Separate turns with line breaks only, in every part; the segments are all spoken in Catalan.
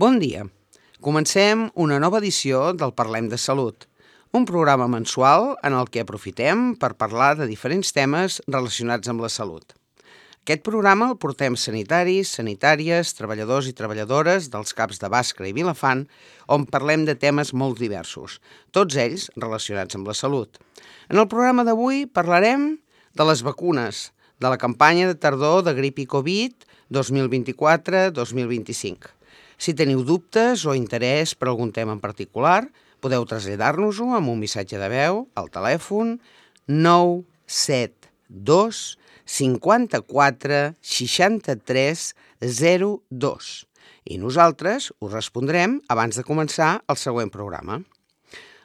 Bon dia. Comencem una nova edició del Parlem de Salut, un programa mensual en el que aprofitem per parlar de diferents temes relacionats amb la salut. Aquest programa el portem sanitaris, sanitàries, treballadors i treballadores dels CAPs de Bàscara i Vilafant, on parlem de temes molt diversos, tots ells relacionats amb la salut. En el programa d'avui parlarem de les vacunes, de la campanya de tardor de grip i Covid 2024-2025. Si teniu dubtes o interès per algun tema en particular, podeu traslladar-nos-ho amb un missatge de veu al telèfon 972 54 63 02 i nosaltres us respondrem abans de començar el següent programa.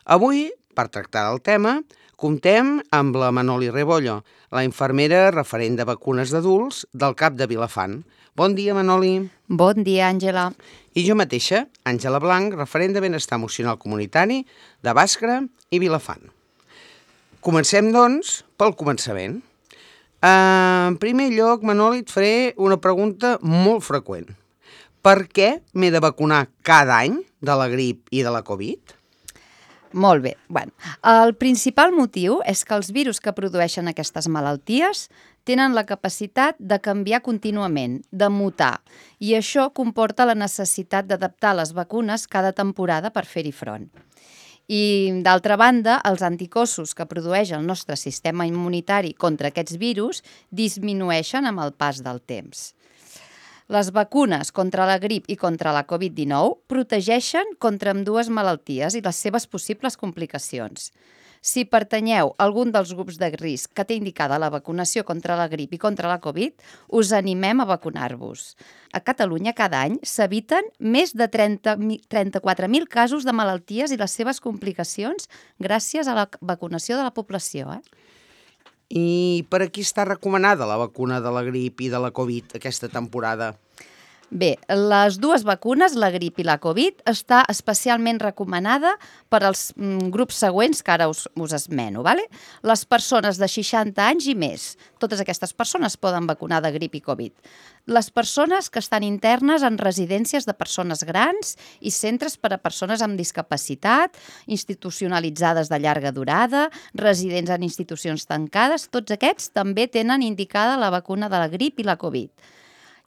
Avui, per tractar del tema, comptem amb la Manoli Rebollo, la infermera referent de vacunes d'adults del CAP de Vilafant. Bon dia, Manoli.
Bon dia, Àngela.
I jo mateixa, Àngela Blanc, referent de benestar emocional comunitari de Bàscara i Vilafant. Comencem, doncs, pel començament. En primer lloc, Manoli, et faré una pregunta molt freqüent. Per què m'he de vacunar cada any de la grip i de la Covid?
Molt bé. El principal motiu és que els virus que produeixen aquestes malalties tenen la capacitat de canviar contínuament, de mutar, i això comporta la necessitat d'adaptar les vacunes cada temporada per fer-hi front. I, d'altra banda, els anticossos que produeix el nostre sistema immunitari contra aquests virus disminueixen amb el pas del temps. Les vacunes contra la grip i contra la Covid-19 protegeixen contra ambdues malalties i les seves possibles complicacions. Si pertanyeu a algun dels grups de risc que té indicada la vacunació contra la grip i contra la Covid, us animem a vacunar-vos. A Catalunya cada any s'eviten més de 34.000 casos de malalties i les seves complicacions gràcies a la vacunació de la població.
I per a qui està recomanada la vacuna de la grip i de la Covid aquesta temporada?
Bé, les dues vacunes, la grip i la Covid, està especialment recomanada per als grups següents que ara us esmeno. Les persones de 60 anys i més. Totes aquestes persones poden vacunar de grip i Covid. Les persones que estan internes en residències de persones grans i centres per a persones amb discapacitat, institucionalitzades de llarga durada, residents en institucions tancades, tots aquests també tenen indicada la vacuna de la grip i la Covid.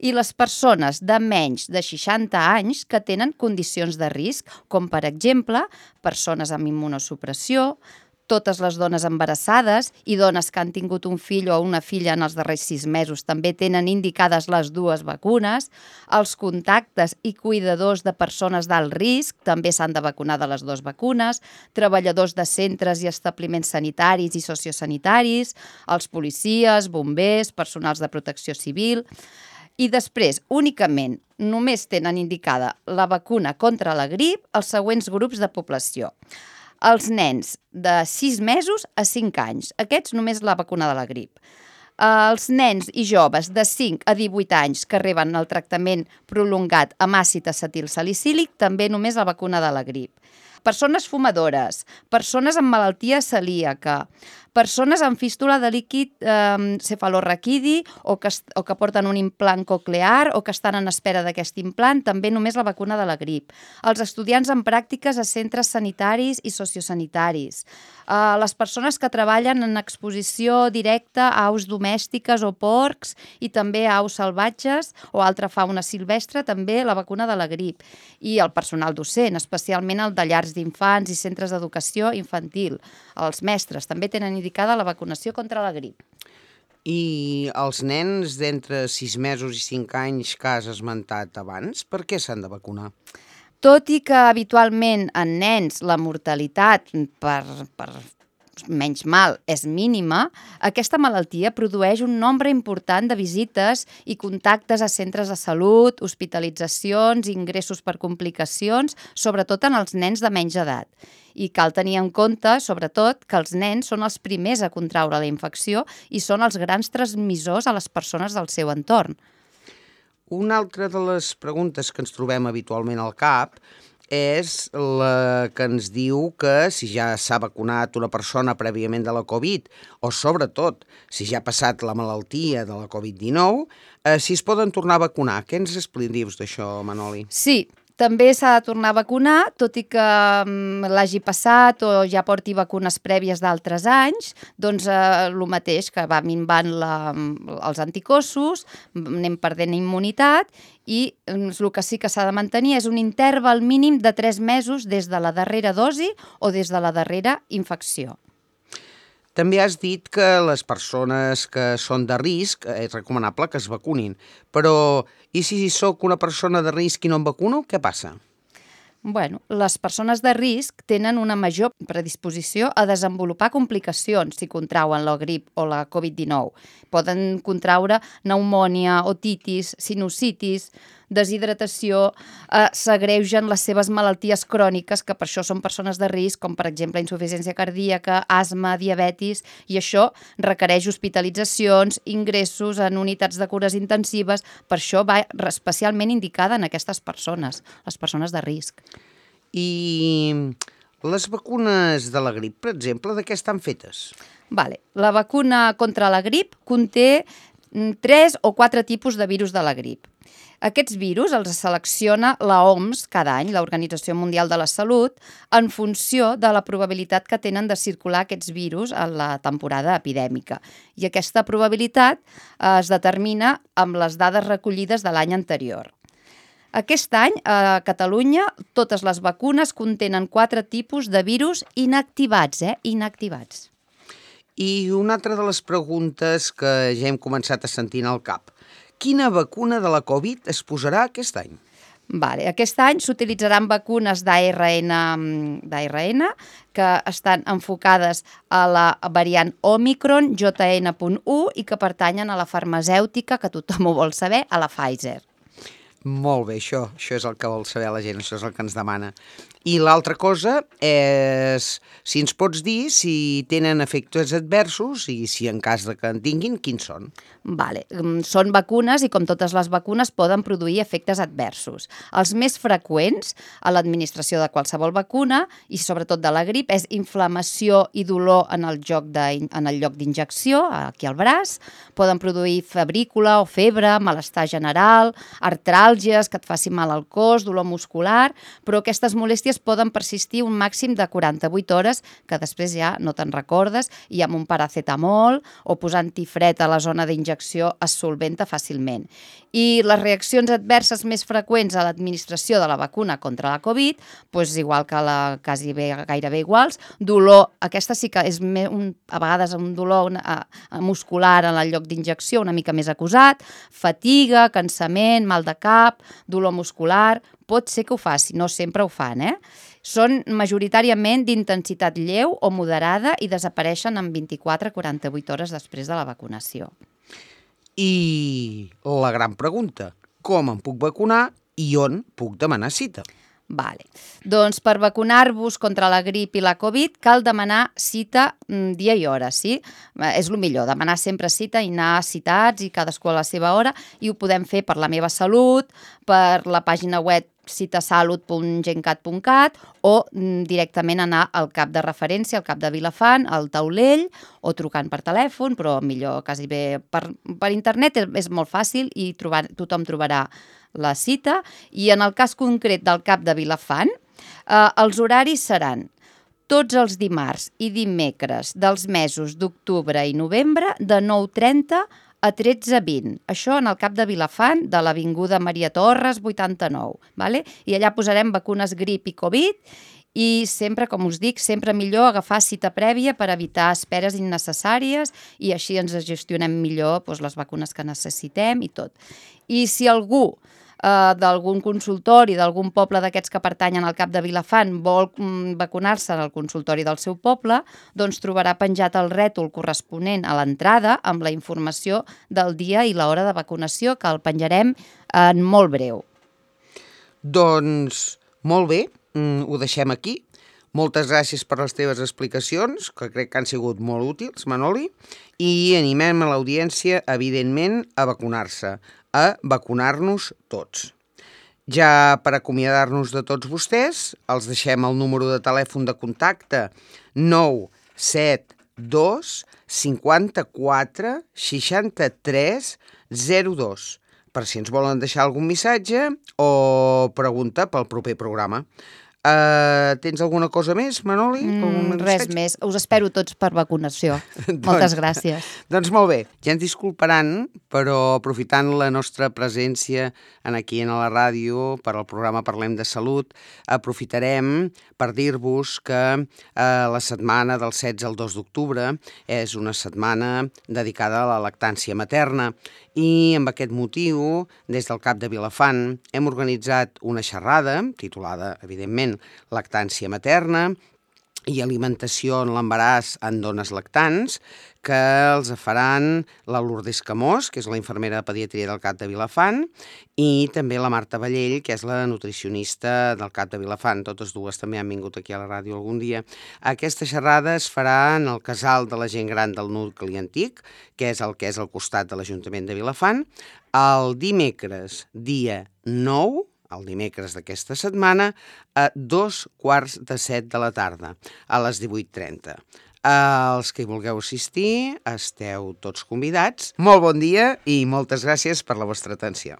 I les persones de menys de 60 anys que tenen condicions de risc, com per exemple persones amb immunosupressió, totes les dones embarassades i dones que han tingut un fill o una filla en els darrers 6 mesos també tenen indicades les dues vacunes, els contactes i cuidadors de persones d'alt risc també s'han de vacunar de les dues vacunes, treballadors de centres i establiments sanitaris i sociosanitaris, els policies, bombers, personals de protecció civil. I després, únicament, només tenen indicada la vacuna contra la grip els següents grups de població. Els nens de 6 mesos a 5 anys, aquests només la vacuna de la grip. Els nens i joves de 5 a 18 anys que reben el tractament prolongat amb àcid acetilsalicílic, també només la vacuna de la grip. Persones fumadores, persones amb malaltia celíaca, persones amb fístula de líquid cefalorraquidi o que porten un implant coclear o que estan en espera d'aquest implant, també només la vacuna de la grip. Els estudiants en pràctiques a centres sanitaris i sociosanitaris. Les persones que treballen en exposició directa a aus domèstiques o porcs i també a aus salvatges o altra fauna silvestre, també la vacuna de la grip. I el personal docent, especialment el de llars d'infants i centres d'educació infantil. Els mestres també tenen indicada la vacunació contra la grip.
I els nens d'entre 6 mesos i 5 anys que has esmentat abans, per què s'han de vacunar?
Tot i que habitualment en nens la mortalitat per menys mal és mínima, aquesta malaltia produeix un nombre important de visites i contactes a centres de salut, hospitalitzacions, ingressos per complicacions, sobretot en els nens de menys edat. I cal tenir en compte, sobretot, que els nens són els primers a contraure la infecció i són els grans transmissors a les persones del seu entorn.
Una altra de les preguntes que ens trobem habitualment al CAP és la que ens diu que si ja s'ha vacunat una persona prèviament de la Covid o, sobretot, si ja ha passat la malaltia de la Covid-19, si es poden tornar a vacunar. Què ens expliques d'això, Manoli?
Sí, També s'ha de tornar a vacunar, tot i que l'hagi passat o ja porti vacunes prèvies d'altres anys, doncs el mateix, que va minvant els anticossos, anem perdent immunitat i el que sí que s'ha de mantenir és un interval mínim de 3 mesos des de la darrera dosi o des de la darrera infecció.
També has dit que les persones que són de risc és recomanable que es vacunin, però i si sóc una persona de risc i no em vacuno, què passa?
Bueno, les persones de risc tenen una major predisposició a desenvolupar complicacions si contrauen la grip o la Covid-19. Poden contraure pneumònia, otitis, sinusitis, deshidratació, s'agreugen les seves malalties cròniques, que per això són persones de risc, com per exemple insuficiència cardíaca, asma, diabetis, i això requereix hospitalitzacions, ingressos en unitats de cures intensives, per això va especialment indicada en aquestes persones, les persones de risc.
I les vacunes de la grip, per exemple, de què estan fetes?
La vacuna contra la grip conté 3 o 4 tipus de virus de la grip. Aquests virus els selecciona l'OMS cada any, l'Organització Mundial de la Salut, en funció de la probabilitat que tenen de circular aquests virus en la temporada epidèmica. I aquesta probabilitat es determina amb les dades recollides de l'any anterior. Aquest any, a Catalunya, totes les vacunes contenen 4 tipus de virus inactivats, inactivats.
I una altra de les preguntes que ja hem començat a sentir al cap. Quina vacuna de la Covid es posarà aquest any?
Aquest any s'utilitzaran vacunes d'ARN que estan enfocades a la variant Omicron, JN.1, i que pertanyen a la farmacèutica, que tothom ho vol saber, a la Pfizer.
Molt bé, això és el que vol saber la gent, això és el que ens demana. I l'altra cosa és si ens pots dir si tenen efectes adversos i si en cas de que en tinguin, quins són.
Són vacunes i com totes les vacunes poden produir efectes adversos. Els més freqüents a l'administració de qualsevol vacuna i sobretot de la grip és inflamació i dolor en el lloc d'injecció, aquí al braç, poden produir febrícula o febre, malestar general, artràlgies, que et faci mal al cos, dolor muscular, però aquestes molèsties poden persistir un màxim de 48 hores, que després ja no te'n recordes, i amb un paracetamol o posant-hi fred a la zona d'injecció es solventa fàcilment. I les reaccions adverses més freqüents a l'administració de la vacuna contra la Covid, doncs igual que gairebé iguals, dolor, aquesta sí que és a vegades un dolor muscular en el lloc d'injecció una mica més acusat, fatiga, cansament, mal de cap, dolor muscular, pot ser que ho faci, no sempre ho fan, Són majoritàriament d'intensitat lleu o moderada i desapareixen en 24-48 hores després de la vacunació.
I la gran pregunta, com em puc vacunar i on puc demanar cita?
Doncs per vacunar-vos contra la grip i la Covid cal demanar cita dia i hora, sí? És el millor, demanar sempre cita i anar citats i cadascú a la seva hora, i ho podem fer per la meva salut, per la pàgina web citasalut.gencat.cat o directament anar al cap de referència, al cap de Vilafant, al taulell, o trucant per telèfon, però millor quasi bé per internet, és molt fàcil i tothom trobarà la cita. I en el cas concret del cap de Vilafant, els horaris seran tots els dimarts i dimecres dels mesos d'octubre i novembre de 9:30 a 13:20. Això en el cap de Vilafant, de l'Avinguda Maria Torres, 89. I allà posarem vacunes grip i Covid, i sempre, com us dic, sempre millor agafar cita prèvia per evitar esperes innecessàries i així ens gestionem millor les vacunes que necessitem i tot. I si algú d'algun consultori, d'algun poble d'aquests que pertanyen al cap de Vilafant vol vacunar-se en el consultori del seu poble, doncs trobarà penjat el rètol corresponent a l'entrada amb la informació del dia i l'hora de vacunació, que el penjarem en molt breu.
Doncs molt bé, ho deixem aquí. Moltes gràcies per les teves explicacions, que crec que han sigut molt útils, Manoli, i animem a l'audiència, evidentment, a vacunar-se, a vacunar-nos tots. Ja per acomiadar-nos de tots vostès, els deixem el número de telèfon de contacte 972 54 63 02. per si ens volen deixar algun missatge o pregunta pel proper programa. Tens alguna cosa més, Manoli?
Res més. Us espero tots per vacunació. Moltes gràcies.
Doncs molt bé, ja ens disculparan, però aprofitant la nostra presència aquí a la ràdio per al programa Parlem de Salut, aprofitarem per dir-vos que la setmana del 16 al 2 d'octubre és una setmana dedicada a la lactància materna i amb aquest motiu, des del CAP de Vilafant, hem organitzat una xerrada titulada, evidentment, Lactància materna i alimentació en l'embaràs en dones lactants, que els faran la Lourdes Camós, que és la infermera de pediatria del CAP de Vilafant, i també la Marta Vallell, que és la nutricionista del CAP de Vilafant. Totes dues també han vingut aquí a la ràdio algun dia. Aquesta xerrada es farà en el casal de la gent gran del nucli antic, que és al costat de l'Ajuntament de Vilafant, el dimecres, dia 9, el dimecres d'aquesta setmana, a 6:45 de la tarda, a les 18:30. Els que hi vulgueu assistir esteu tots convidats. Molt bon dia i moltes gràcies per la vostra atenció.